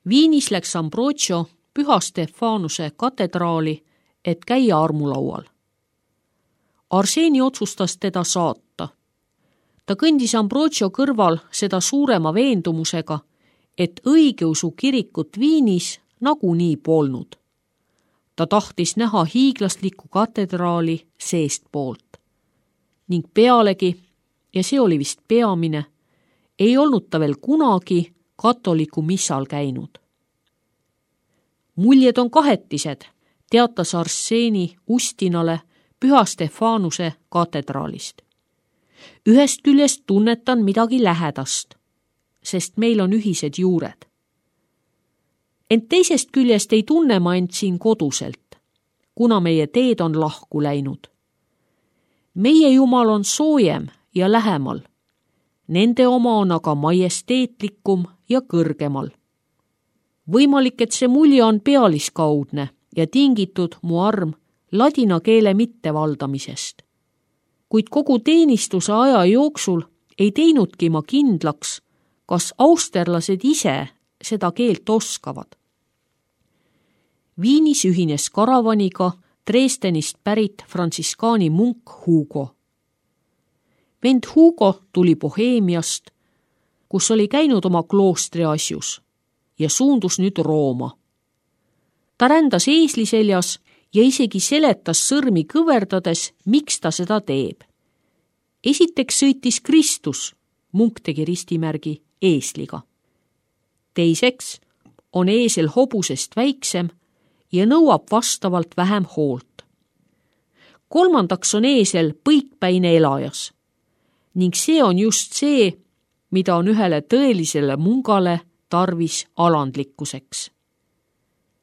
Viinis läks Ambrogio Püha Stefanuse katedraali, et käia armulaual. Arseni otsustas teda saata. Ta kõndis Ambrogio kõrval seda suurema veendumusega, et õigeusu kirikut Viinis nagunii polnud. Ta tahtis näha hiiglaslikku katedraali seestpoolt. Ning pealegi, ja see oli vist peamine, ei olnud ta veel kunagi katoliku missal käinud. Muljed on kahetised, teatas Arseni Ustinale Püha Stefanuse katedraalist. Ühest küljest tunnetan midagi lähedast, sest meil on ühised juured. Ent teisest küljest ei tunne ma end siin koduselt, kuna meie teed on lahku läinud. Meie Jumal on soojem ja lähemal. Nende oma on aga majesteetlikum ja kõrgemal. Võimalik, et see mulje on pealiskaudne ja tingitud mu arm ladina keele mittevaldamisest. Kuid kogu teenistuse aja jooksul ei teinudki ma kindlaks, kas austerlased ise seda keelt oskavad. Viinis ühines karavaniga Dresdenist pärit frantsiskaani munk Hugo. Vend Hugo tuli Boheemiast, kus oli käinud oma kloostri asjus ja suundus nüüd Rooma. Ta rändas eesli seljas ja isegi seletas sõrmi kõverdades, miks ta seda teeb. Esiteks sõitis Kristus, munk tegi ristimärgi eesliga. Teiseks on eesel hobusest väiksem ja nõuab vastavalt vähem hoolt. Kolmandaks on eesel põikpäine elajas ning see on just see, mida on ühele tõelisele mungale tarvis alandlikkuseks.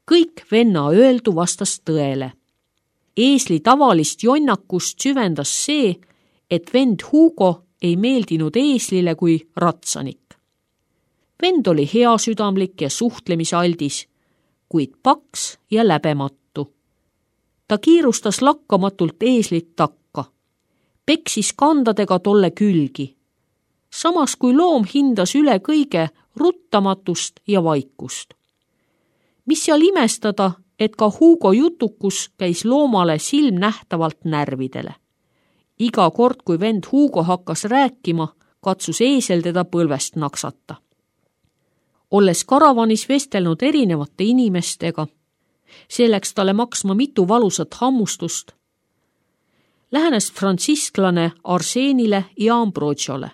Kõik venna öeldu vastas tõele. Eesli tavalist jonnakust süvendas see, et vend Hugo ei meeldinud eeslile kui ratsanik. Vend oli heasüdamlik ja suhtlemisaldis, kuid paks ja läbematu. Ta kiirustas lakkamatult eeslit takka, peksis kandadega tolle külgi, samas kui loom hindas üle kõige ruttamatust ja vaikust. Mis seal imestada, et ka Hugo jutukus käis loomale silmnähtavalt närvidele. Iga kord, kui vend Hugo hakkas rääkima, katsus eesel teda põlvest naksata. Olles karavanis vestelnud erinevate inimestega, see läks talle maksma mitu valusat hammustust, lähenes fransisklane Arsenile ja Ambrogiole.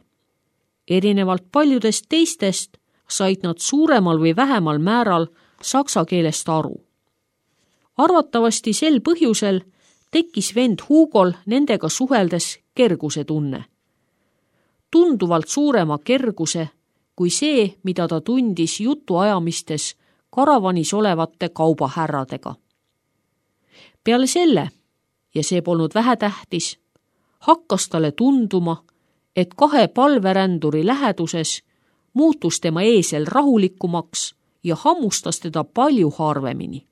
Erinevalt paljudest teistest said nad suuremal või vähemal määral saksa keelest aru. Arvatavasti sel põhjusel tekkis vend Hugol nendega suheldes kerguse tunne. Tunduvalt suurema kerguse kui see, mida ta tundis jutuajamistes karavanis olevate kaubahärradega. Peale selle, ja see polnud vähetähtis, hakkas talle tunduma, et kahe palveränduri läheduses muutus tema eesel rahulikumaks ja hammustas teda palju harvemini.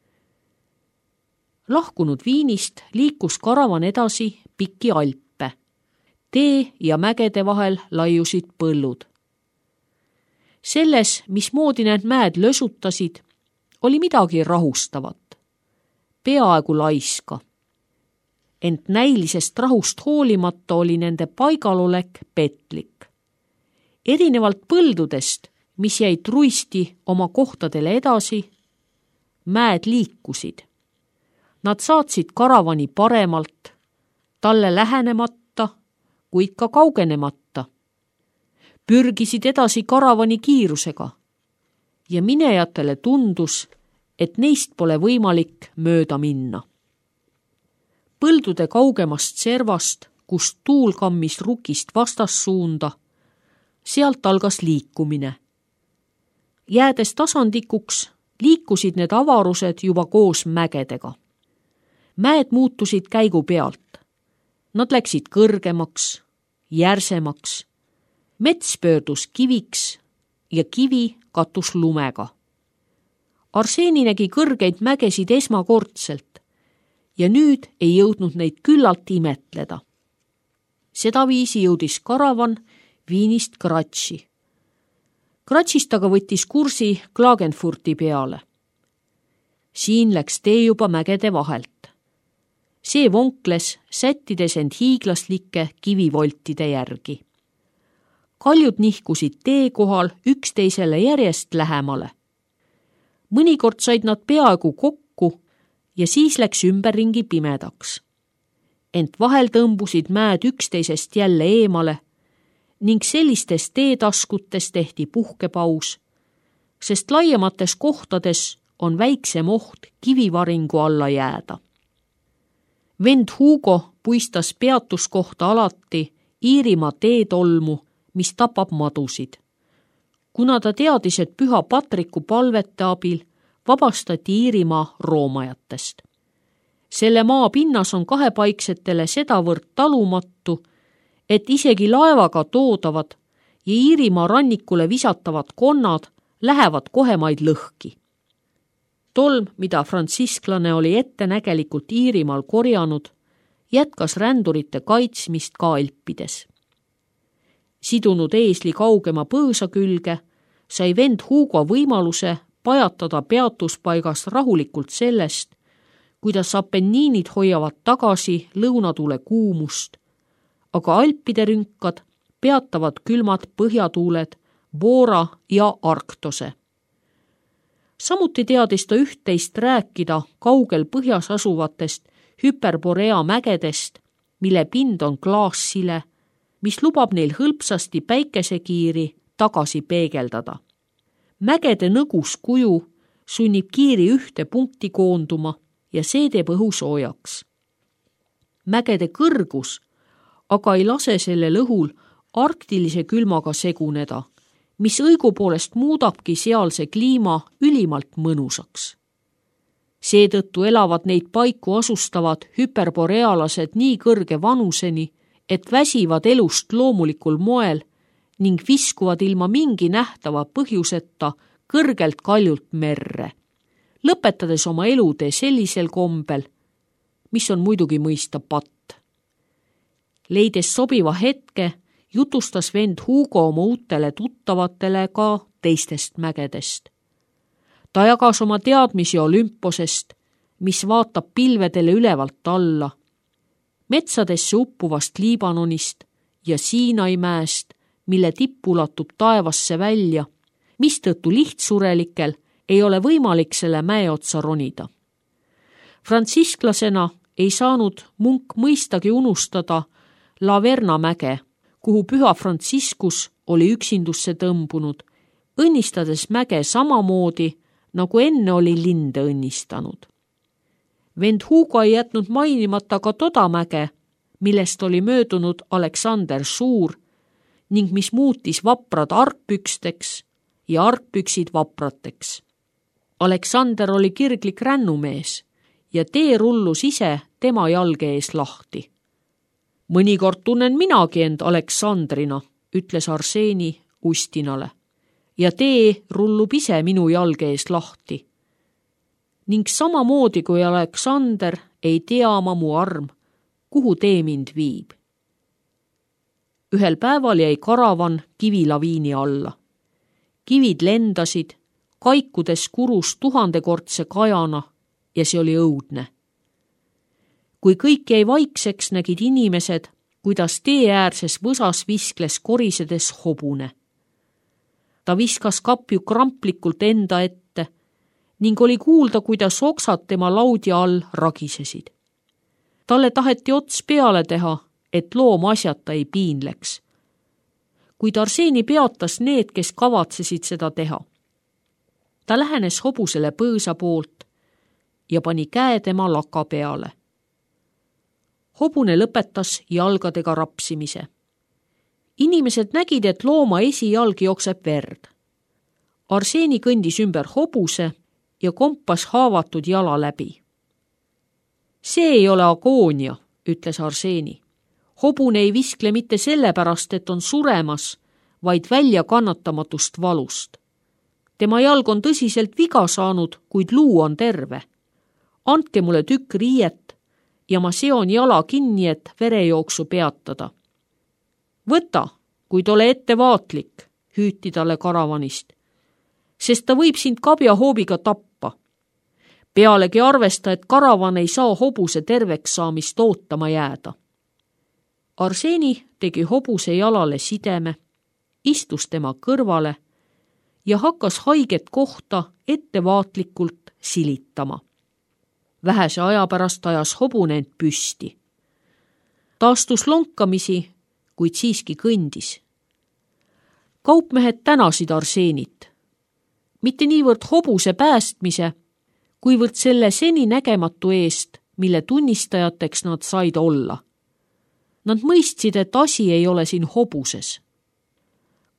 Lahkunud Viinist liikus karavan edasi pikki Alpe. Tee ja mägede vahel laiusid põllud. Selles, mismoodi need mäed lösutasid, oli midagi rahustavat, peaaegu laiska. Ent näilisest rahust hoolimata oli nende paigalolek petlik. Erinevalt põldudest, mis jäid truisti oma kohtadele edasi, mäed liikusid. Nad saatsid karavani paremalt, talle lähenemata, kuid ka kaugenemata. Pürgisid edasi karavani kiirusega ja minejatele tundus, et neist pole võimalik mööda minna. Põldude kaugemast servast, kust tuul kammis rukist vastassuunda, sealt algas liikumine. Jäädes tasandikuks, liikusid need avarused juba koos mägedega. Mäed muutusid käigu pealt. Nad läksid kõrgemaks, järsemaks. Mets pöördus kiviks ja kivi katus lumega. Arseni nägi kõrgeid mägesid esmakordselt ja nüüd ei jõudnud neid küllalt imetleda. Sedaviisi jõudis karavan Viinist Gratši. Kratsist aga võttis kursi Klagenfurti peale. Siin läks tee juba mägede vahelt. See vonkles, sättides end hiiglaslike kivivoltide järgi. Kaljud nihkusid tee kohal üksteisele järjest lähemale. Mõnikord said nad peaaegu kokku ja siis läks ümberringi pimedaks. Ent vahel tõmbusid mäed üksteisest jälle eemale ning sellistes teetaskutes tehti puhkepaus, sest laiemates kohtades on väiksem oht kivivaringu alla jääda. Vend Hugo puistas peatuskohta alati Iirimaa teetolmu, mis tapab madusid. Kuna ta teadis, et Püha Patriku palvete abil vabastati Iirimaa roomajatest. Selle maa pinnas on kahepaiksetele sedavõrd talumatu, et isegi laevaga toodavad ja Iirimaa rannikule visatavad konnad lähevad kohemaid lõhki. Tolm, mida frantsisklane oli ettenägelikult Iirimaal korjanud, jätkas rändurite kaitsmist ka Alpides. Sidunud eesli kaugema põõsa külge, sai vend Hugo võimaluse pajatada peatuspaigas rahulikult sellest, kuidas Apenniinid hoiavad tagasi lõunatuule kuumust, aga Alpide rünkad peatavad külmad põhjatuuled Bora ja Arktose. Samuti teadis ta üht-teist rääkida kaugel põhjas asuvatest Hyperborea mägedest, mille pind on klaassile, mis lubab neil hõlpsasti päikesekiiri tagasi peegeldada. Mägede nõgus kuju sunnib kiiri ühte punkti koonduma ja see teeb õhu soojaks. Mägede kõrgus aga ei lase sellel õhul arktilise külmaga seguneda, mis õigupoolest muudabki sealse kliima ülimalt mõnusaks. Seetõttu elavad neid paiku asustavad hüperborealased nii kõrge vanuseni, et väsivad elust loomulikul moel ning viskuvad ilma mingi nähtava põhjuseta kõrgelt kaljult merre, lõpetades oma elutee sellisel kombel, mis on muidugi mõista patt. Leides sobiva hetke, jutustas vend Hugo oma uutele tuttavatele ka teistest mägedest. Ta jagas oma teadmisi Olümposest, mis vaatab pilvedele ülevalt alla, metsadesse uppuvast Liibanonist ja Siinai mäest, mille tipp ulatub taevasse välja, mistõttu lihtsurelikel ei ole võimalik selle mäe otsa ronida. Frantsisklasena ei saanud munk mõistagi unustada Laverna mäge, kuhu Püha Franciscus oli üksindusse tõmbunud, õnnistades mäge samamoodi, nagu enne oli linde õnnistanud. Vend Hugo ei jätnud mainimata ka toda mäge, millest oli möödunud Aleksander Suur ning mis muutis vaprad argpüksteks ja argpüksid vaprateks. Aleksander oli kirglik rännumees ja tee rullus ise tema jalge ees lahti. Mõnikord tunnen minagi end Aleksandrina, ütles Arseni Ustinale, ja tee rullub ise minu jalge ees lahti. Ning samamoodi kui Aleksander ei tea ma mu arm, kuhu tee mind viib. Ühel päeval jäi karavan kivilaviini alla. Kivid lendasid, kaikudes kurus 1000-kordse kajana ja see oli õudne. Kui kõik jäi vaikseks, nägid inimesed, kuidas tee äärses võsas viskles korisedes hobune. Ta viskas kapju kramplikult enda ette ning oli kuulda, kuidas oksad tema laudja all ragisesid. Talle taheti ots peale teha, et loom asjata ei piinleks. Kuid Arseni peatas need, kes kavatsesid seda teha. Ta lähenes hobusele põõsa poolt ja pani käe tema laka peale. Hobune lõpetas jalgadega rapsimise. Inimesed nägid, et looma esijalg jookseb verd. Arseni kõndis ümber hobuse ja kompas haavatud jala läbi. See ei ole agoonia, ütles Arseni. Hobune ei viskle mitte sellepärast, et on suremas, vaid välja kannatamatust valust. Tema jalg on tõsiselt viga saanud, kuid luu on terve. Andke mulle tükk riiet ja ma seon jala kinni, et verejooksu peatada. Võta, kuid ole ettevaatlik, hüüti talle karavanist, sest ta võib sind kabjahoobiga tappa. Pealegi arvesta, et karavan ei saa hobuse terveks saamist ootama jääda. Arseni tegi hobuse jalale sideme, istus tema kõrvale ja hakkas haiget kohta ettevaatlikult silitama. Vähese aja pärast ajas hobune end püsti. Ta astus lonkamisi, kuid siiski kõndis. Kaupmehed tänasid Arsenit. Mitte niivõrd hobuse päästmise, kuivõrd selle seni nägematu eest, mille tunnistajateks nad said olla. Nad mõistsid, et asi ei ole siin hobuses.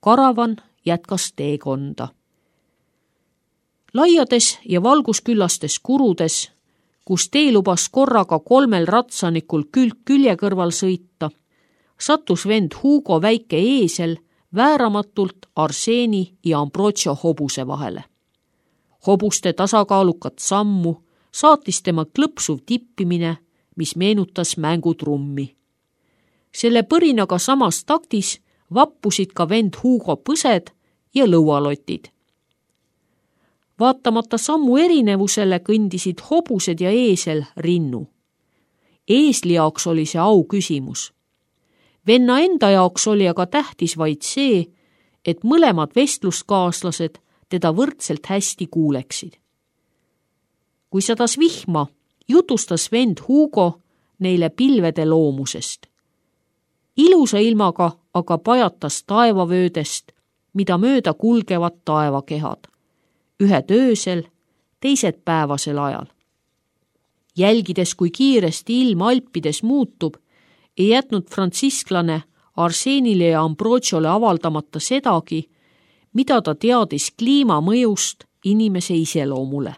Karavan jätkas teekonda. Laiades ja valgusküllastes kurudes, kus tee lubas korraga 3 ratsanikul külg külje kõrval sõita, sattus vend Hugo väike eesel vääramatult Arseni ja Ambrogio hobuse vahele. Hobuste tasakaalukat sammu saatis tema klõpsuv tippimine, mis meenutas mängutrummi. Selle põrinaga samas taktis vappusid ka vend Hugo põsed ja lõualotid. Vaatamata sammu erinevusele kõndisid hobused ja eesel rinnu. Eesli jaoks oli see au küsimus. Venna enda jaoks oli aga tähtis vaid see, et mõlemad vestluskaaslased teda võrdselt hästi kuuleksid. Kui sadas vihma, jutustas vend Hugo neile pilvede loomusest. Ilusa ilmaga aga pajatas taevavöödest, mida mööda kulgevad taevakehad. Ühed öösel, teised päevasel ajal. Jälgides, kui kiiresti ilm Alpides muutub, ei jätnud fransisklane Arsenile ja Ambrogiole avaldamata sedagi, mida ta teadis kliima mõjust inimese iseloomule.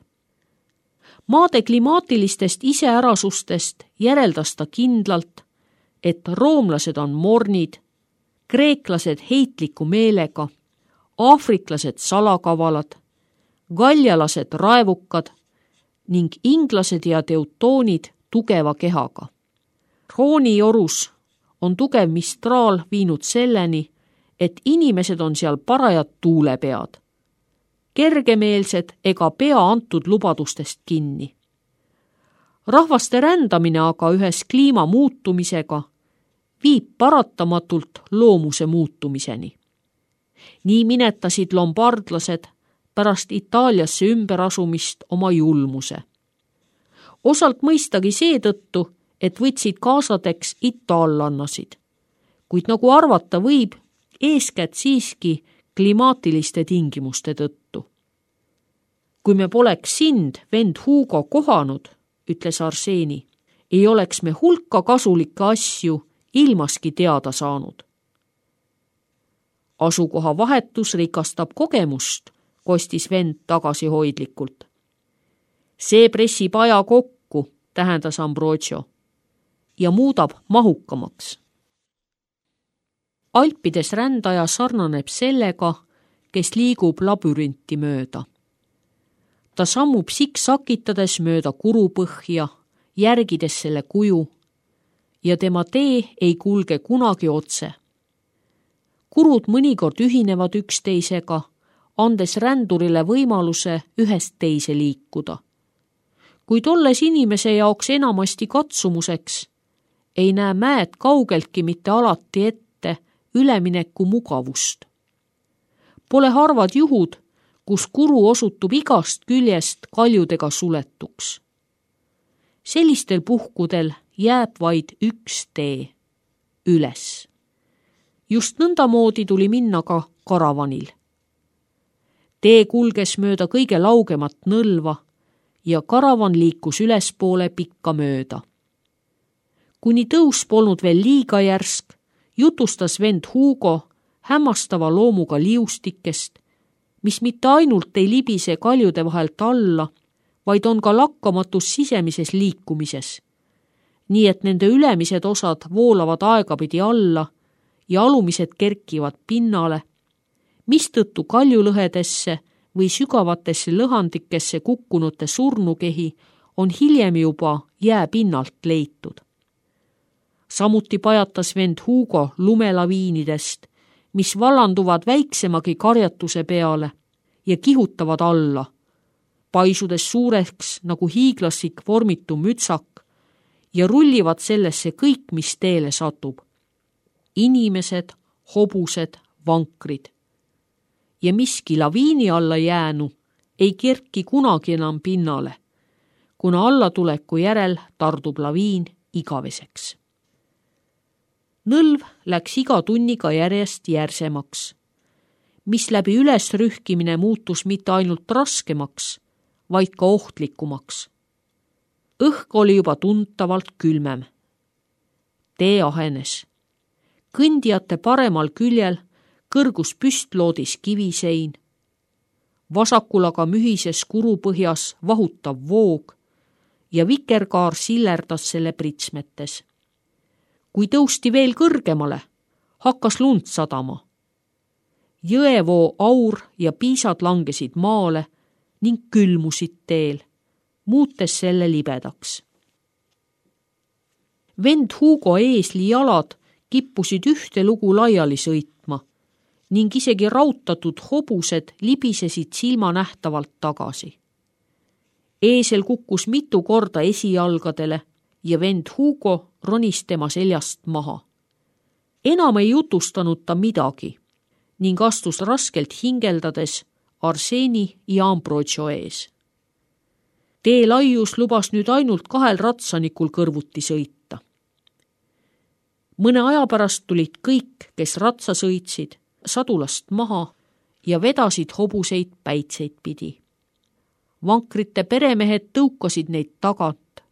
Maade klimaatilistest iseärasustest järeldas ta kindlalt, et roomlased on mornid, kreeklased heitliku meelega, aafriklased salakavalad, galjalased raevukad ning inglased ja teutoonid tugeva kehaga. Roonijorus on tugev mistraal viinud selleni, et inimesed on seal parajad tuulepead. Kergemeelsed ega pea antud lubadustest kinni. Rahvaste rändamine aga ühes kliima muutumisega viib paratamatult loomuse muutumiseni. Nii minetasid lombardlased pärast Itaaliasse ümberasumist oma julmuse. Osalt mõistagi seetõttu, et võtsid kaasadeks itaallannasid, kuid nagu arvata võib, eeskätt siiski klimaatiliste tingimuste tõttu. Kui me poleks sind, vend Hugo, kohanud, ütles Arseni, ei oleks me hulka kasulikke asju ilmaski teada saanud. Asukoha vahetus rikastab kogemust, kostis vend tagasihoidlikult. See pressib aja kokku, tähendas Ambrogio, ja muudab mahukamaks. Alpides rändaja sarnaneb sellega, kes liigub labürinti mööda. Ta sammub siksakitades mööda kurupõhja, järgides selle kuju, ja tema tee ei kulge kunagi otse. Kurud mõnikord ühinevad üksteisega, andes rändurile võimaluse ühest teise liikuda. Kuid olles inimese jaoks enamasti katsumuseks, ei näe mäed kaugeltki mitte alati ette ülemineku mugavust. Pole harvad juhud, kus kuru osutub igast küljest kaljudega suletuks. Sellistel puhkudel jääb vaid üks tee, üles. Just nõndamoodi tuli minna ka karavanil. Tee kulges mööda kõige laugemat nõlva ja karavan liikus ülespoole pikka mööda. Kuni tõus polnud veel liiga järsk, jutustas vend Hugo hämmastava loomuga liustikest, mis mitte ainult ei libise kaljude vahelt alla, vaid on ka lakkamatus sisemises liikumises, nii et nende ülemised osad voolavad aegapidi alla ja alumised kerkivad pinnale, mistõttu kaljulõhedesse või sügavatesse lõhandikesse kukkunute surnukehi on hiljem juba jääpinnalt leitud. Samuti pajatas vend Hugo lumelaviinidest, mis vallanduvad väiksemagi karjatuse peale ja kihutavad alla, paisudes suureks nagu hiiglaslik vormitu mütsak ja rullivad sellesse kõik, mis teele satub. Inimesed, hobused, vankrid. Ja miski laviini alla jäänu ei kerki kunagi enam pinnale, kuna allatuleku järel tardub laviin igaveseks. Nõlv läks iga tunniga järjest järsemaks, mis läbi ülesrühkimine muutus mitte ainult raskemaks, vaid ka ohtlikumaks. Õhk oli juba tuntavalt külmem. Tee ahenes. Kõndijate paremal küljel kõrgus püstloodis kivisein. Vasakul aga mühises kurupõhjas vahutav voog ja vikerkaar sillerdas selle pritsmetes. Kui tõusti veel kõrgemale, hakkas lund sadama. Jõevoo aur ja piisad langesid maale ning külmusid teel, muutes selle libedaks. Vend Hugo eesli jalad kippusid ühte lugu laiali sõitma ning isegi rautatud hobused libisesid silmanähtavalt tagasi. Eesel kukkus mitu korda esijalgadele ja vend Hugo ronis tema seljast maha. Enam ei jutustanud ta midagi ning astus raskelt hingeldades Arseni ja Ambrogio ees. Tee laius lubas nüüd ainult 2 ratsanikul kõrvuti sõita. Mõne aja pärast tulid kõik, kes ratsa sõitsid, sadulast maha ja vedasid hobuseid päitseid pidi. Vankrite peremehed tõukasid neid tagant,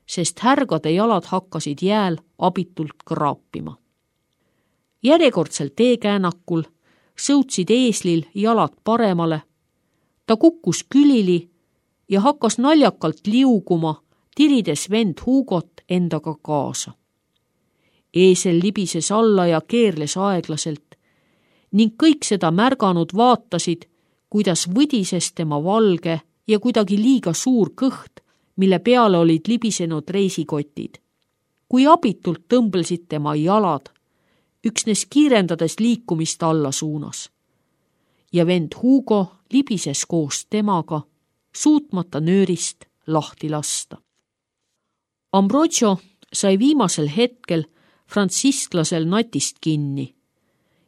sest härgade jalad hakkasid jääl abitult kraapima. Järjekordselt teekäänakul sõutsid eeslil jalad paremale, ta kukkus külili ja hakkas naljakalt liuguma, tirides vend Hugot endaga kaasa. Eesel libises alla ja keerles aeglaselt ning kõik seda märganud vaatasid, kuidas võdises tema valge ja kuidagi liiga suur kõht, mille peale olid libisenud reisikotid. Kui abitult tõmblesid tema jalad, üksnes kiirendades liikumist alla suunas. Ja vend Hugo libises koos temaga, suutmata nöörist lahti lasta. Ambrogio sai viimasel hetkel frantsisklasel natist kinni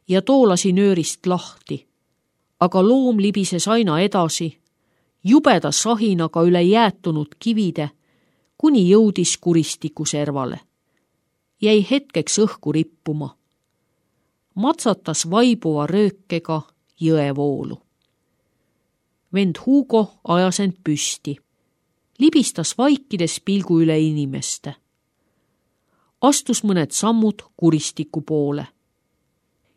ja too lasi nöörist lahti, aga loom libises aina edasi, jubeda sahinaga üle jäätunud kivide, kuni jõudis kuristiku servale. Jäi hetkeks õhku rippuma. Matsatas vaibuva röökega jõevoolu. Vend Hugo ajas end püsti. Libistas vaikides pilgu üle inimeste. Astus mõned sammud kuristiku poole.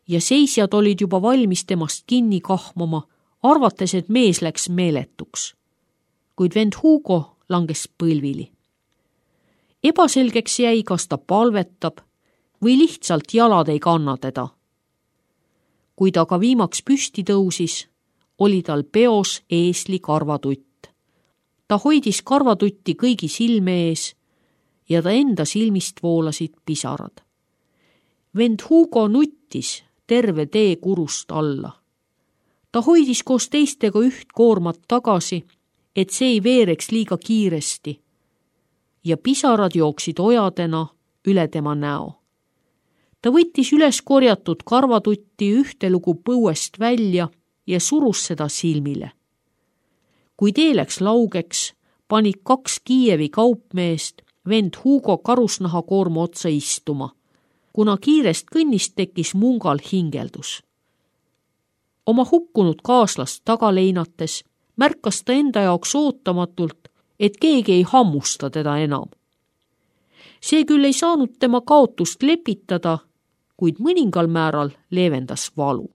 Ja seisjad olid juba valmis temast kinni kahmama, arvates, et mees läks meeletuks. Kuid vend Hugo langes põlvili. Ebaselgeks jäi, kas ta palvetab või lihtsalt jalad ei kanna teda. Kui ta aga viimaks püsti tõusis, oli tal peos eesli karvatutt. Ta hoidis karvatutti kõigi silme ees ja ta enda silmist voolasid pisarad. Vend Hugo nuttis terve tee kurust alla. Ta hoidis koos teistega üht koormat tagasi, et see ei veereks liiga kiiresti ja pisarad jooksid ojadena üle tema näo. Ta võttis üles korjatud karvatutti ühte lugu põuest välja ja surus seda silmile. Kui tee läks laugeks, panid 2 Kiievi kaupmeest vend Hugo karusnaha koorma otsa istuma, kuna kiirest kõnnist tekkis mungal hingeldus. Oma hukkunud kaaslast taga leinates märkas ta enda jaoks ootamatult, et keegi ei hammusta teda enam. See küll ei saanud tema kaotust lepitada, kuid mõningal määral leevendas valu.